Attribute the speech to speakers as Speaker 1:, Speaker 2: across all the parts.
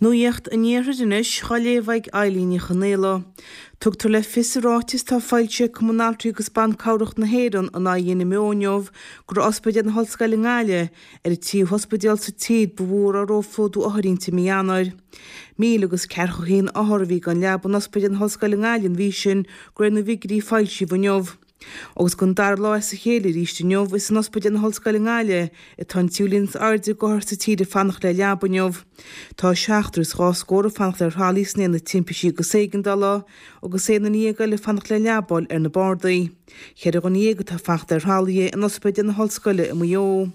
Speaker 1: Nuacht an Iarthair anois, á léamh ag Eilín Ní Chonaola. Tugtar le fios i ráiteas atá foilsithe ag Cumann Altraí agus Ban Cabhrach na hÉireann in aghaidh an NMO inniu go raibh Ospidéal na hOllscoile i nGaillimh ar an tríú hospidéal sa tír ba mhó a raibh róphlódú othar inti i mí Eanáir. 1,041 othar a bhí gan leaba in Ospidéal na hOllscoile i nGaillimh an mhí sin, de réir na bhfigiúirí a foilsíodh inniu. Agus don dara lá as a chéile arís inniu, is in Ospidéal na hOllscoile i nGaillimh atá an tríú líon is airde d'othair sa tír ag fanacht le leaba inniu. Tá seachtar is dhá scór ag fanacht ar thralaí san aonad timpistí agus éigeandála, agus aon duine dhéag eile ag fanacht le leaba a fháil ar na bardaí. Cheithre dhuine dhéag atá ag fanacht ar thralaithe in Ospidéal na hOllscoile i Maigh Eo.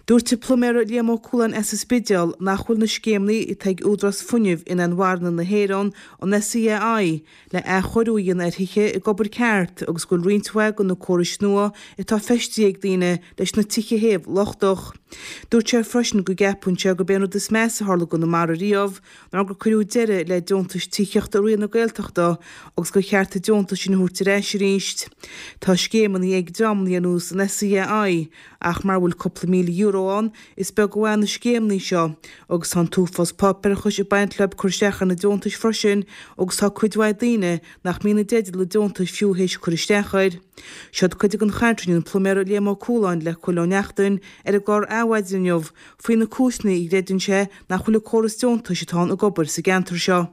Speaker 1: Dúirt an pluiméara Liam Ó Cualáin as an Spidéal nach bhfuil na scéimeanna atá ag Údarás Fuinnimh Inbhuanaithe na hÉireann, an SEAI, le athchóiriú a dhéanamh ar thithe ag obair ceart agus go bhfuil roinnt mhaith de na córais nua atá feistithe ag daoine leis na tithe a théamh lochtach. Dúirt sé freisin go gceapann sé gurb é an rud is measa a tharla i gConamara riamh ná gur cuireadh deireadh le deontais tithíochta i rith na Gaeltachta agus gur cheart an deontas sin a thabhairt ar ais arís. Tá scéimeanna ag dreamanna ar nós an SEAI ach mara bhfuil cúpla €1,000 ann is beag an mhaith na scéimeanna seo agus tá an t-uafás páipéarachais ag baint leo cur isteach ar na deontais freisin agus tá cuid mhaith daoine nach mbíonn i dteideal an deontais fiú théis cur isteach air. Seod cuid den chaint a rinne an pluiméara Liam Ó Cualáin le Cóil Ó Neachtain ar an gclár Adhmhaidin inniu faoi na cúiseanna a gcreideann sé nach bhfuil an córas deontais atá ann ag obair sa gceantar seo.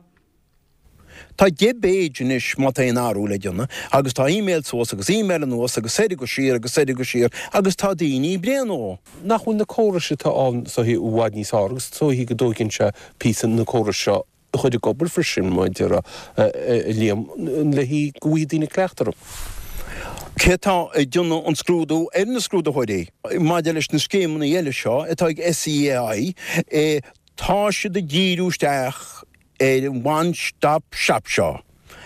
Speaker 2: Tá deich bpage anois má tá aon athrú le déanamh agus tá email suas agus email anuas agus soir agus siar agus soir agus siar agus tá daoine bréan dhó.
Speaker 3: Nach bhfuil na córais atá ann is dóichí i bhfad níos fearr agus is dóichí go dtóigeann sé píosa na córais seo a chur ag obair freisin, mar a déarfá, a Liam, le haghaidh go bhfaighidh daoine cleachtadh orthu.
Speaker 2: Cé atá ag déanamh an scrúdú ar na scrúdaitheoirí? Maidir leis na scéimeanna eile seo atá ag SEAI, tá siad ag díriú isteach ar an one stop shop seo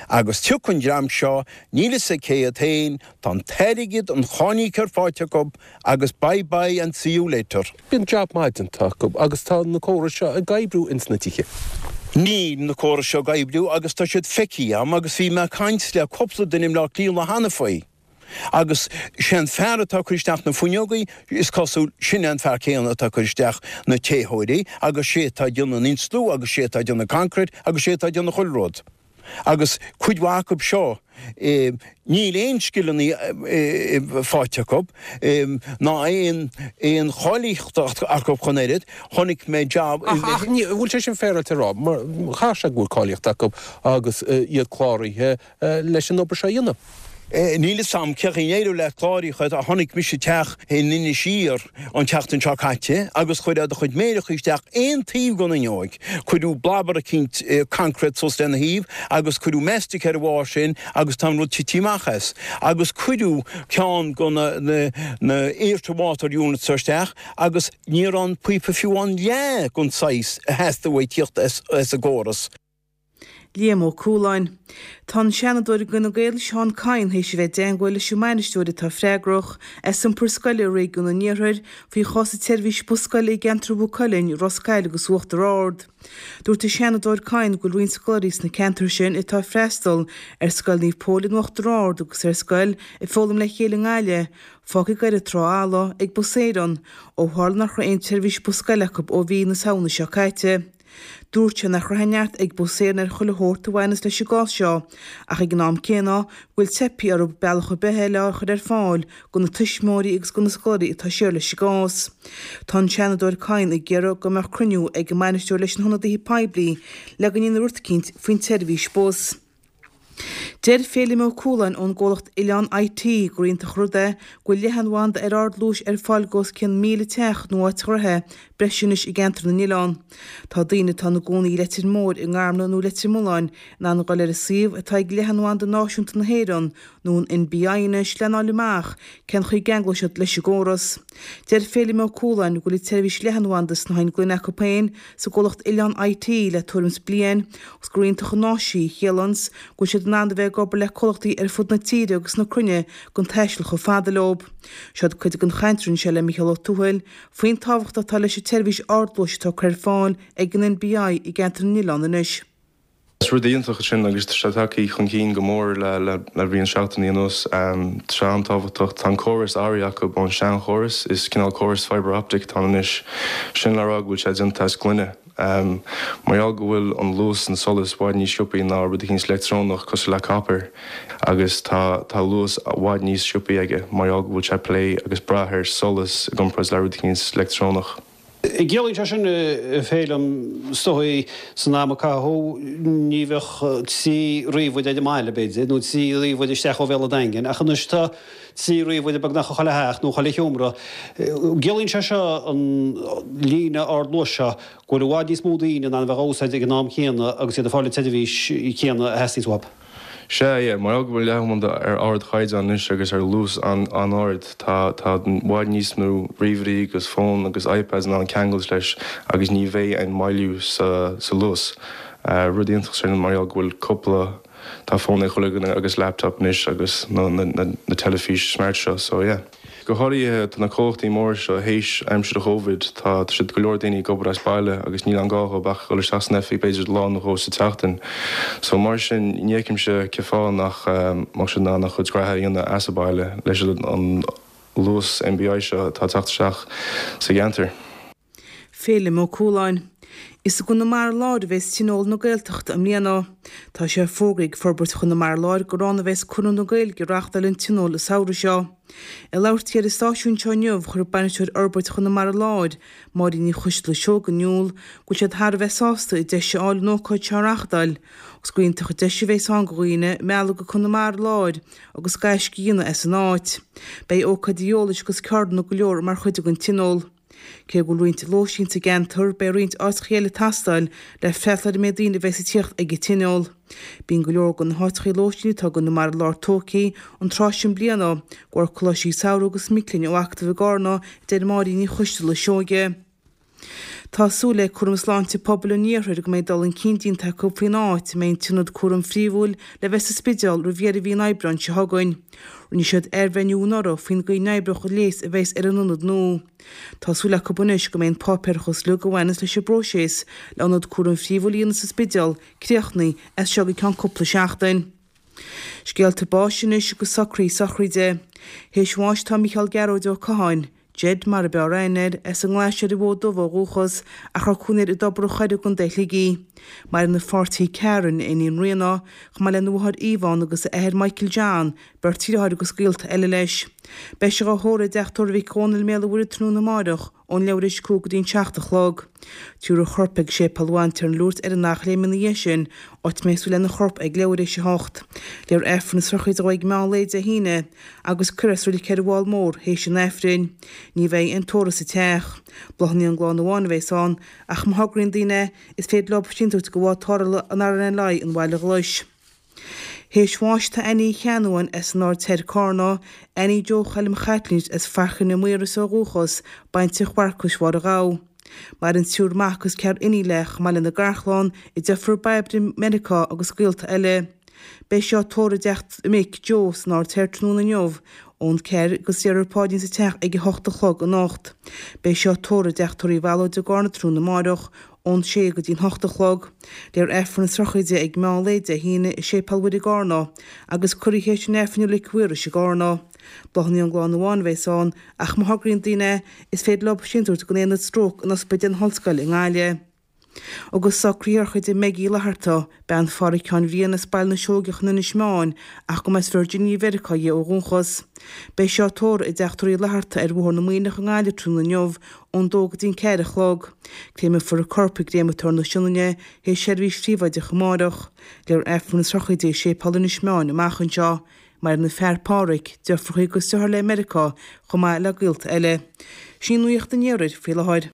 Speaker 2: agus tiocfaidh an dream seo, níl fhios ag cé iad féin, tá an t-airgead, an cáiníocóir faighte acu agus bye bye and see you later.
Speaker 3: Bíonn jab maith déanta acu agus tá na córais seo ag oibriú ins na tithe.
Speaker 2: Níl na córais seo ag oibriú agus tá siad feicthe a'm agus bhí mé ag caint le cúpla duine i mBleá Cliath an lá cheana faoi agus sé an fear atá ag cur isteach na fuinneogaí, is cosúil, sin é an fear céanna atá ag cur isteach na téitheoirí agus sé atá ag déanamh an insliú agus sé atá ag déanamh concrete agus sé atá ag déanamh chuile rud. Agus cuid mhaith acu seo, níl aon scileanna faighte acu, ná aon cháilíocht acu chun oiread. Chonaic mé
Speaker 3: jab i. Ach an bhfuil sé sin féaráilte a rá? Mar chaithfeadh sé go bhfuil cáilíocht acu agus iad cláraithe leis an obair seo a dhéanamh.
Speaker 2: Níl fhios a'm cén chaoi ar éirigh le cláraithe ach chonaic mise teach in Inis Oírr an tseachtain seo caite agus chuir a chuid méireacha isteach aon taobh den fhuinneoig. Cuireadh blabar eicínt concrete suas lena thaobh agus cuireadh mastic ar a bharr sin agus tá an rud tite amach as. Agus cuireadh ceann de na na air to water units isteach agus ní raibh an píopa fiú an leath den saghas a theastaigh uaidh tíocht as an gcóras.
Speaker 1: Liam Ó Cualáin. Tá an Seanadóir d'Fhine Gael Seán Kyne théis a bheith i dteangmháil leis an mbainisteoir atá freagrach as iompar scoile i réigiún an Iarthair faoi chás an tseirbhís bus scoile i gceantar Mhaigh Cuilinn, Ros Goill agus Uachtar Ard. Dúirt an Seanadóir Kyne go bhfuil roinnt scoláirí sna ceantair sin atá ag freastal ar Scoil Naomh Pól in Uachtar Ard agus ar Scoil Ag Foghlaim le Chéile i nGaillimh fágtha ag Doire Trá Alla ag Bus Éireann ó tharla nach raibh aon tseirbhís bus scoile acu ó mhí na Samhna seo caite. Dúirt sé nach raibh aon neart ag Bus Éireann ar chuile shórt a bhaineas leis an gcás seo ach ag an am céanna go bhfuil teipthe orthu bealach ar bith eile a chur ar fáil do na tuismitheoirí agus do na scoláirí atá siar leis an gcás. Tá an Seanadóir Kyne ag iarraidh go mbeadh cruinniú ag an mbainisteoir leis na hionadaithe poiblí le go ndéanfaí rud eicínt faoin tseirbhís bus. Deir Féilim Ó Cualáin ón gcomhlacht Oileán IT gur iontach an rud é go bhfuil leathanbhanda ar ardluais ar fáil go os cionn 1,000 teach nó áit ghnoithe breise anois i gceantar na n-oileán. Tá daoine atá ina gcónaí i Leitir Móir, i nGarmna nó Leitir Mealláin in ann a dhul ar an suíomh atá ag Leathanbhanda Náisiúnta na hÉireann nó an NBI anois lena fháil amach cén chaoi a gceanglóidh siad leis an gcóras. Deir Féilim Ó Cualáin go bhfuil an tseirbhís leathanbhanda sna gloine acu féin sa gcomhlacht Oileán IT le tuairim is bliain agus gur iontach an áis í a chiallaíonns go bhfuil siad in ann a bheith ag obair le comhlachtaí ar fud na tíre agus na cruinne gan taisteal chomh fada leo. Seod cuid den chaint a rinne sé le Mícheál Ó Tuathail faoin tábhacht atá leis an tseirbhís ardluais atá curtha ar fáil ag an NBI i gceantar na n-oileán anois.
Speaker 4: Is rud iontach é sin agus tá sé tagtha chun cinn go mór le roinnt seachtainí anuas. Tá sé an-tábhachtach. Tá an córas athraithe acu ón seanchóras. Is cineál córas fibre optic atá ann anois. Sin le rá go bhfuil sé déanta as gloine. Mar gheall go bhfuil an luas an solas i bhfad níos siopaí ná rud eicínt leictreonach cosúil le copper agus tá tá luas i bhfad níos siopaí aige mar gheall go bhfuil sé ag plé agus brath ar solas i gcomparáid le rud eicínt leictreonach.
Speaker 5: Ciallaíonn sé sin, a Fhéilim, is dóigh, san am a caitheadh, ní bheadh 3 ríomhaire ar an mbaile, b'fhéidir, nó 3 ríomhaire isteach ó bhéal an Daingin, ach anois tá 3 ríomhaire beagnach i chuile theach nó chuile sheomra. Ciallaíonn sé seo, an líne ardluais seo, go bhfuil i bhfad níos mó daoine in ann a bheith á úsáid ag an am céanna agus iad ag fáil an tseirbhís chéanna a theastaíonns uathu.
Speaker 4: Sea, yeah, mar gheall go bhfuil leathanbhanda ar ardchaighdeán anois agus ar luas an-ard, tá, tá i bhfad níos mó ríomhairí agus fón agus iPads in ann ceangailt leis agus ní bheidh aon moilliú sa, sa luas. Rud iontach sin mar gheall go bhfuil cúpla, tá fón ag chuile dhuine agus laptop anois agus na, na, na, na teilifís smart seo, so yeah. Go háirithe, tá na comhlachtaí móra seo théis aimsir Chovid, tá siad go leor daoine ag obair as baile agus níl aon gá dhóibh ach dhul isteach san oifig b'fhéidir lá nó dhó sa tseachtain. So mar sin, ní fheicimse cén fáth nach mbeadh siad in ann a chuid graithe a dhéanamh as a baile leis an luas NBI seo atá ag teacht isteach sa gceantar.
Speaker 1: Féilim Ó Cualáin. Is i gConamara Láir a bheas Tionól na Gaeltachta i mbliana. Tá sé fógraithe ag Forbairt Chonamara Láir gur ann a bheas Conradh na Gaeilge ag reáchtáil an Tionóil an samhradh seo. Ag labhairt di ar an stáisiún seo inniu, chuir Bainisteoir Fhorbairt Chonamara Láir, Máirín Ní Choisteala Seoige in iúl go bhfuil siad thar a bheith sásta an deis a fháil an ócáid seo a reáchtáil agus gur iontach an deis a bheas ann do dhaoine mealladh go Conamara Láir agus gaisce a dhéanamh as an áit. Beidh ócáidí eolais agus ceardlanna go leor mar chuid den Tionól. Cé go bhfuil roinnt lóistín sa gceantar, beidh roinnt áiteachaí eile ag teastáil le freastal ar an méid daoine a bheas ag tíocht ag an Tionól. Bíonn go leor de na háiteachaí lóistín atá i gConamara Láir tógtha an tráth sin bliana, de bharr coláistí samhraidh agus mic léinn ó Acadamh i gCarna, a deir Máirín Ní Choisteala Seoige. Tá súil ag Cúram Sláinte Pobail an Iarthair go mbeidh dul chun cinn déanta acu faoin áit a mbeidh an t-ionad cúraim phríomhúil le bheith sa Spidéal roimh dheireadh mhí an Aibreáin seo chugainn. Rinne siad athbhreithniú anuraidh faoin gcaoi n-oibreodh an leigheas a bheas ar an ionad nua. Tá súil acu anois go mbeidh an páipéarachas uilig a bhaineas leis an bpróiseas le ionad cúraim phríomhúil a dhéanamh sa Spidéal críochnaithe as seo go ceann cúpla seachtain. Scéalta báis anois agus socruithe sochraide. Théis bháis tá Mícheál Gearóid Ó Catháin, Ged mar ab fhearr aithne air, as an nGlais ar an bhFód Dubh ó dhúchas, ach a raibh cónaí air i dTobar an Choire i gContae Shligigh. Maireann a pháirtí Karen, a iníon Ríona, chomh maith lena mháthair Yvonne agus a athair Michael John, beirt dheartháir agus gaolta eile leis. Beidh sé dhá thórramh i dteach tórraimh Mhic Dhónaill i mBéal an Mhuirthead tráthnóna amáireach, ón leathuair théis 5 go dtí an 7 a chlog. Tabharfar a chorp ag Séipéal Mhainséar na Lúirt ar an Eachléim ina dhiaidh sin, áit a mbeidh súil lena chorp ag leathuair théis 8. Léifear Aifreann na sochraide dhó ag meán lae Dé hAoine agus cuirfear é sa reilig ar an bhFál Mór théis an Aifrinn. Ní bheidh aon tórramh sa teach. Bláthanna ón gclann amháin a bheas ann, ach má thograíonn daoine é, is féidir leo síntiús a thabhairt go bhád tarrthála an RNLI an Bhaile Ghlais. Théis bháis tá Annie Uí Cheannabháin as an Aird Thoir, Cárna, Annie Joe Choilm Chaitlín as Fairche na Maoras ó dhúchas, baintreach Mharcais Mháire Ghabha. Maireann triúr mac agus ceathrar iníon léi chomh maith lena garchlann, a deirfiúr Bairbre i Meiriceá agus gaolta eile. Beidh sí á tórramh i dteach a mic, Joe, san Aird Thoir tráthnóna inniu ón 4 agus déarfar paidrín sa teach ag 8 a chlog anocht. Beidh sí á tórramh i dteach tórraimh Uí Bhallóid i gCárna tráthnóna amáireach Ón sé go dtí'n hocht a chlog, léifear Aifreann na sochraide ag meán lae Dé hAoine i Séipéal Mhuire i gCárna agus cuirfear í théis an Aifrinn i Reilig Mhaorais i gCárna. Bláthanna ón gclann amháin a bheas ann ach má thograíonn daoine é, is féidir leo síntiús a thabhairt don Aonad Stróc in Ospidéal na hOllscoile i nGaillimh. Agus socruithe sochraide Meigí Uí Fhlatharta, bean Pháraic Sheáin Bhriain as Baile na Seoigeach in Inis Meáin ach go mba as Virginia Mheiriceá dhi ó dhúchas. Beidh sí á tórramh i dteach tórraimh Uí Fhlatharta ar Bhóthar na Muimhneach i nGaillimh tráthnóna inniu ón dó go dtí'n 4 a chlog. Créamfar a corp i gcréamatóir na Sionainne théis seirbhís phríobháideach amáireach. Léifear Aifreann na sochraide i Séipéal Inis Meáin amach anseo. Maireann a fear Páraic, deirfiúracha agus deartháir léi i Meiriceá chomh maith le gaolta eile. Sin í nuacht an iarthair faoi láthair.